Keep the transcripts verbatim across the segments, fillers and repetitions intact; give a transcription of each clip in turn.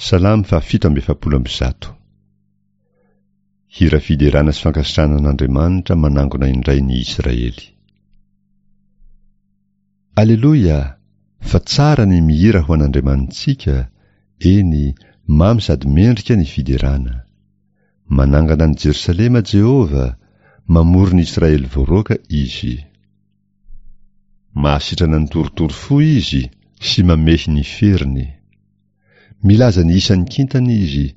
Salamo fahafito amby efapolo amby zato. Hira fiderana sy fankasitrahana an'Andriamanitra manangona indray ny Israely. Aleloia! Fa tsara ny mihira ho an'Andriamanitsika, eny, mamy sady mendrika ny fiderana. Manangana an'i Jerosalema Jehovah, mamory ny Israely voaroaka Izy. Mahasitrana ny torotoro fo Izy sy mamehy ny feriny. Milaza ny isan'ny kintana Izy,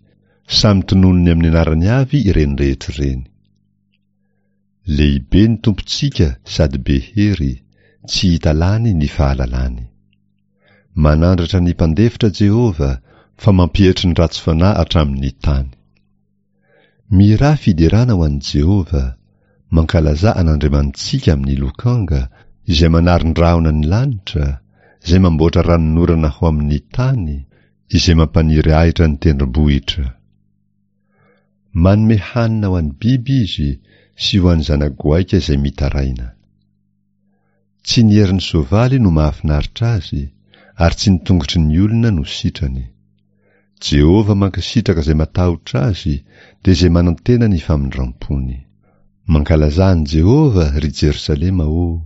samy tononiny amin'ny anarany avy ireny rehetra ireny. Lehibe ny Tompontsika sady be hery, tsy hita lany ny fahalalany. Manandratra ny mpandefitra Jehovah, fa mampietry ny ratsy fanahy hatramin'ny tany. Mihirà fiderana ho an'i Jehovah, mankalazà an'Andriamanitsika amin'ny lokanga, izay manaron-drahona ny lanitra, izay mamboatra ranonorana ho amin'ny tany, izay mampaniry ahitra ny tendrombohitra. Manome hanina ho an'ny biby izy sy ho an'ny zana-goaika izay mitaraina. Tsy ny herin'ny soavaly no mahafinaritra azy, ary tsy ny tongotry ny olona no sitrany. Jehovah mankasitraka izay matahotra azy, dia izay manantena ny famindram-pony. Mankalazà an'i Jehovah, ry Jerosalema ô!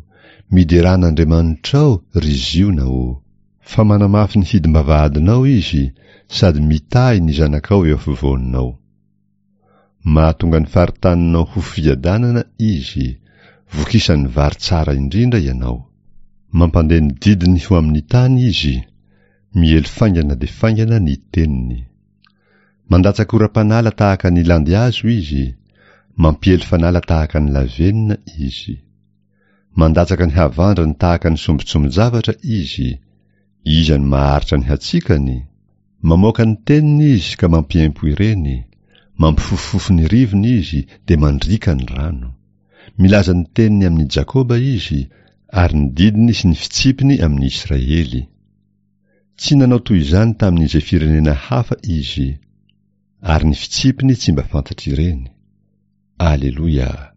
Miderà an'Andriamanitrao, ry Ziona ô! Fa manamafy ny hidim-bavahadinao izy, sady mitahy ny zanakao eo afovoanao. Mahatonga ny faritaninao ho fiadanana izy, vokisan'ny vary tsara indrindra ianao. Mampandeha ny didiny ho amin'ny tany izy, miely faingana dia faingana ny teniny. Mandatsaka oram-panala tahaka ny landihazo izy, mampiely fanala tahaka ny lavenona izy. Mandatsaka ny havandrany tahaka ny sombintsombin-javatra izy, iza no maharitra ny hatsikany? Mamoaka ny teniny izy ka mampiempo ireny, mampifofofofo ny rivony izy dia mandriaka ny rano. Milaza ny teniny amin'i Jakoba izy, ary ny didiny sy ny fitsipiny amin'i Israely. Tsy nanao toy izany tamin'izay firenena hafa izy, ary ny fitsipiny tsy mba fantatr'ireny. Aleloia!